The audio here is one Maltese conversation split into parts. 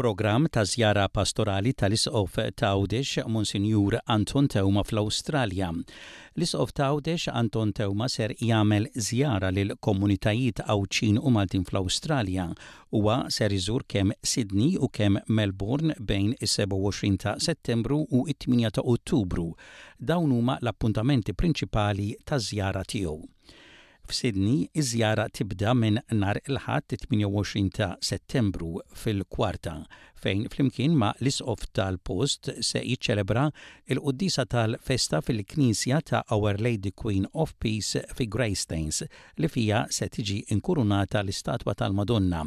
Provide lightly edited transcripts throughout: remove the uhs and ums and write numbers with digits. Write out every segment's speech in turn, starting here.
Programm ta' żjara pastorali tal-Isqof t'Għawdex Monsinjur Anton Teuma fl-Awstralja. L-Isqof t'Għawdex Anton Teuma ser jagħmel żjara lil komunitajiet Għawdxin u Maltin fl-Awstralja. Huwa ser iżur kemm Sydney u kemm Melbourne bejn is-27 ta' Settembru u t-8 ta' Ottubru. Dawn huma l-appuntamenti prinċipali taż-żjara tiegħu. F'Sydney, iż-żjara tibda minn nhar il-Ħadd it-28 ta' Settembru fil-Kwarta, fejn flimkien ma' l-Isqof tal-post se jiċċelebra l-quddiesa tal-festa fil-Knisja ta' Our Lady Queen of Peace fi Greystanes li fiha se tiġi nkurunata l-istatwa tal-Madonna.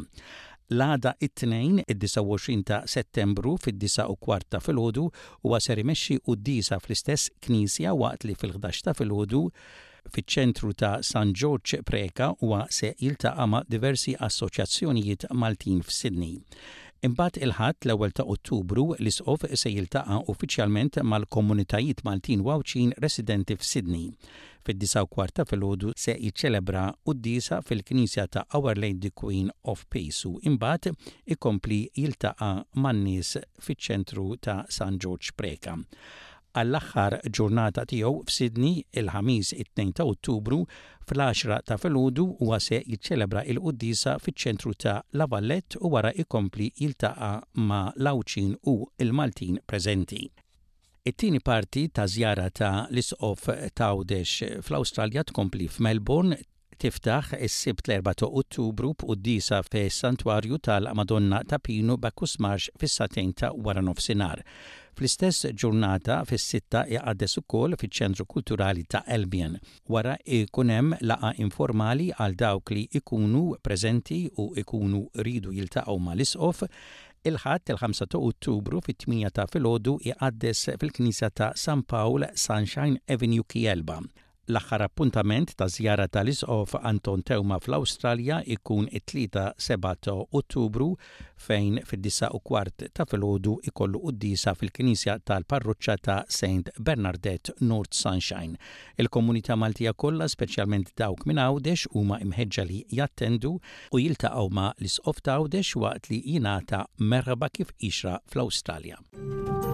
L-għada it-Tnejn, id-29 ta' Settembru fid-disgħa u kwart ta' filgħodu huwa ser imexxi quddiesa fl-istess knisja waqt li fil-ħdax ta' filgħodu Fiċ-ċentru ta' San Ġorġ Preca huwa se jiltaqa' ma' diversi assoċjazzjonijiet Maltin f'Sydney. Imbagħad il-Ħadd l-ewwel ta' Ottubru l-Isqof se jiltaqa' uffiċjalment mal-komunitajiet Maltin u Għawdxin residenti f'Sydney. Fid-disgħa u kwart ta' filgħodu se jiċċelebra quddiesa fil-Knisja ta' Our Lady Queen of Peace u imbagħad ikompli jiltaqa' man-nies fiċ-ċentru ta' San Ġorġ Preca. Għall-aħħar ġurnata tiegħu f'Sydney, il-Ħamis it-2 ta' Ottubru, fl-għaxra ta' filgħodu huwa se jiċċelebra l-quddiesa fiċ-ċentru ta' La Valette u wara jkompli jiltaqa' ma' l-Għawdxin u l-Maltin preżenti. It-tieni parti taż-żjara ta' l-Isqof t'Għawdex fl-Awstralja tkompli f'Melbourne, Tiftaħ is-Sibt l-4 ta' Ottubru b'quddiesa fis-Santwarju tal-Madonna ta' Pinu Bacchus Marsh fis-sagħtejn ta' waranofsinhar. Fl-istess ġurnata fis-sitta iqaddes ukoll fiċ-Ċentru Kulturali ta' Albion. Wara jkun hemm laqgħa informali għal dawk li jkunu preżenti u jkunu jridu jiltaqgħu mal-Isqof. Il-Ħadd il-5 ta' Ottubru fit-tmienja ta' filgħodu iqaddes fil-Knisja ta' San Pawl, Sunshine Avenue, Kielba. L-aħħar appuntament taż-żjara tal-Isqof Anton Teuma fl-Awstralja jkun it-Tlieta 7 ta' Ottubru fejn fid-disgħa u kwart ta' filgħodu jkollu quddiesa fil-Knisja tal-Parroċċa ta' Saint Bernardette, North Sunshine. Il-komunità Maltija kollha, speċjalment dawk minn Għawdex, huma imħeġġa li jattendu u jiltaqgħu ma' l-Isqof t'Għawdex waqt li jingħata merħba kif jixraq fl-Awstralja.